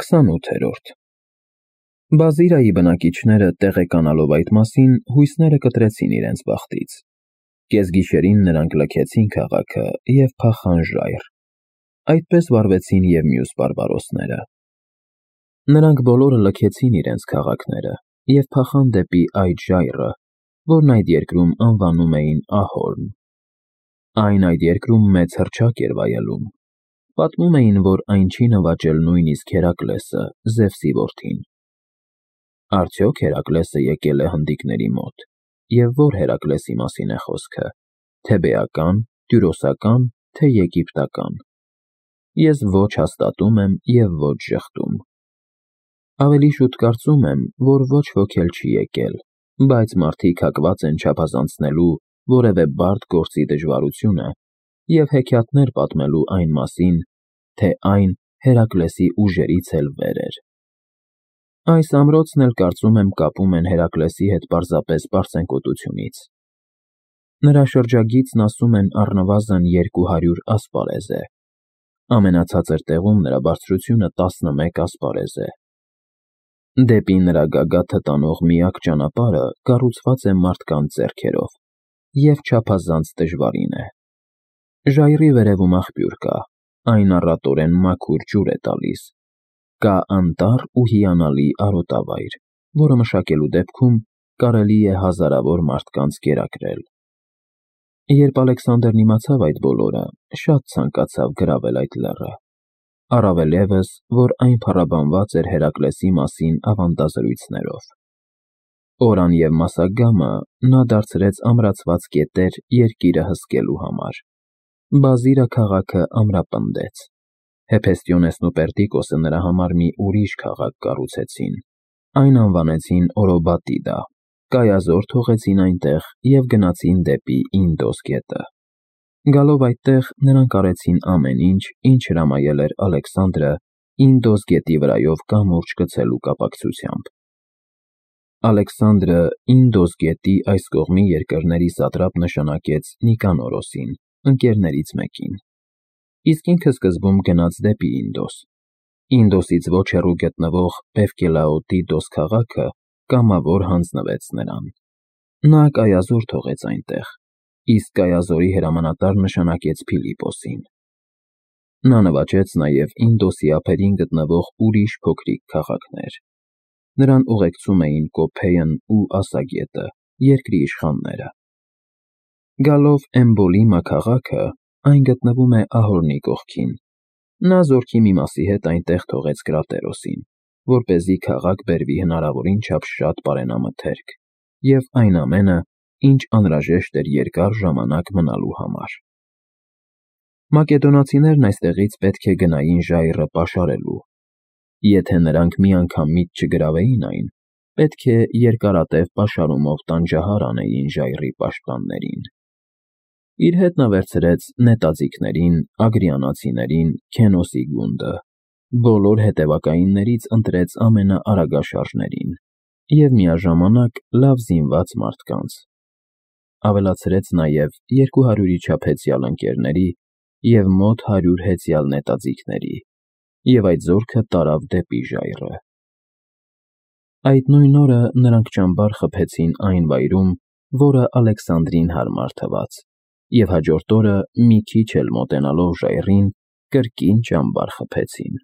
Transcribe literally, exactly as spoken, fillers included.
քսանութերորդ Բազիրայի բնակիչները տեղեկանալով այդ մասին հույսները կտրեցին իրենց բախտից։ Կեսգիշերին նրանք լքեցին քաղաքը և փախան ժայռ։ Այդպես վարվեցին և մյուս բարբարոսները։ Նրանք բոլորը լքեցին իրենց քաղաքները և փախան դեպի այդ ժայռը, որն այդ երկրում անվանում էին Ահորմ։ Այն այդ երկրում մեծ հռչակ էր վայելում։ Պատմում էին, որ այն չի նվաճել նույնիսկ Հերակլեսը, Զևսի որդին։ Արդյոք Հերակլեսը եկել է հնդիկների մոտ, և ո՞ր Հերակլեսի մասին է խոսքը՝ Թեբեական, Տյուրոսական, թե Եգիպտական։ Ես ոչ հաստատում եմ և ոչ ժխտում։ Ավելի շուտ կարծում եմ, որ ոչ ոք էլ չի եկել, բայց մարդիկ հակված են չափազանցնելու որևէ բարդ գործի դժվարությունը և հեքիաթներ պատմելու այն մասին, թե այն Հերակլեսի ուժերից էլ վեր էր։ Այս ամրոցն էլ կարծում եմ կապում են Հերակլեսի հետ պարզապես պարծենկոտությունից։ Նրա շրջագիծն ասում են առնվազն երկու հարյուր ասպարեզ է։ Ամենացածր տեղում նրա բարձրությունը տասնմեկ ասպարեզ է։ Դեպի նրա գագաթը տանող միակ ճանապարհը կառուցված է մարդկանց ձեռքերով և չափազանց դժվարին է։ Ժայռի վերևում աղբյուր կա, այն առատորեն մաքուր ջուր է տալիս։ Կա անտառ ու հիանալի արոտավայր, որը մշակելու դեպքում կարելի է հազարավոր մարդկանց կերակրել։ Երբ Ալեքսանդրն իմացավ այդ բոլորը, շատ ցանկացավ գրավել այդ լեռը, առավել ևս, որ այն փառաբանված էր Հերակլեսի մասին ավանդազրույցներով։ Օրան և Մասագամը նա դարձրեց ամրացված կետեր երկիրը հսկելու համար։ Բազիրը քաղաքը ամրապնդեց։ Հեփեստիոնեսն ու Պերդիկոսը նրա համար մի ուրիշ քաղաք կառուցեցին, այն անվանեցին Օրոբատիդա, կայազոր թողեցին այնտեղ և գնացին դեպի Ինդոս գետը։ Գալով այդտեղ նրանք արեցին ամեն ինչ, ինչ հրամայել էր Ալեքսանդրը Ինդոս գետի վրայով կամուրջ գցելու կապակցությամբ։ Ալեքսանդրը Ինդոս գետի այս կողմի երկրների սատրապ նշանակեց Նիկանորոսին, ընկերներից մեկին, իսկ ինքը սկզբում գնաց դեպի Ինդոս։ Ինդոսից ոչ հեռու գտնվող Պևկելաոտիդոս քաղաքը կամավոր հանձնվեց նրան։ Նա կայազոր թողեց այնտեղ, իսկ կայազորի հրամանատար նշանակեց Փիլիպոսին։ Նա նվաճեց նաև Ինդոսի ափերին գտնվող ուրիշ փոքրիկ քաղաքներ։ Նրան ուղեկցում էին Կոփեյն ու Ասագետը, երկրի իշխանները։ Գալով Էմբոլիմա քաղաքը, այն գտնվում է Ահորնի կողքին, նա զորքի մի մասի հետ այնտեղ թողեց Կրատերոսին, որպեսզի քաղաք բերվի հնարավորին չափ շատ պարենամթերք և այն ամենը, ինչ անհրաժեշտ էր երկար ժամանակ մնալու համար։ Մակեդոնացիներն այստեղից պետք է գնային ժայռը պաշարելու։ Եթե նրանք մի անգամ միտ չգրավեին այն, պետք է երկարատև պաշարումով տանջահար անեին ժայռի պաշտպաններին։ Իր հետ նա վերցրեց նետաձիգներին, ագրիանացիներին, Քենոսի գունդը, բոլոր հետևակայիններից ընտրեց ամենաարագաշարժներին և միաժամանակ լավ զինված մարդկանց։ Ավելացրեց նաև երկու հարյուրի չափ հեծյալ ընկերների և մոտ հարյուր հեծյալ նետաձիգների և այդ զորքը տարավ դեպի ժայռը։ Այդ նույն օրը նրանք ճամբար խփեցին այն վայրում, որը Ալեքսանդրին հարմար թվաց, և հաջորդ օրը մի քիչ էլ մոտենալով ժայռին, կրկին ճամբար խփեցին։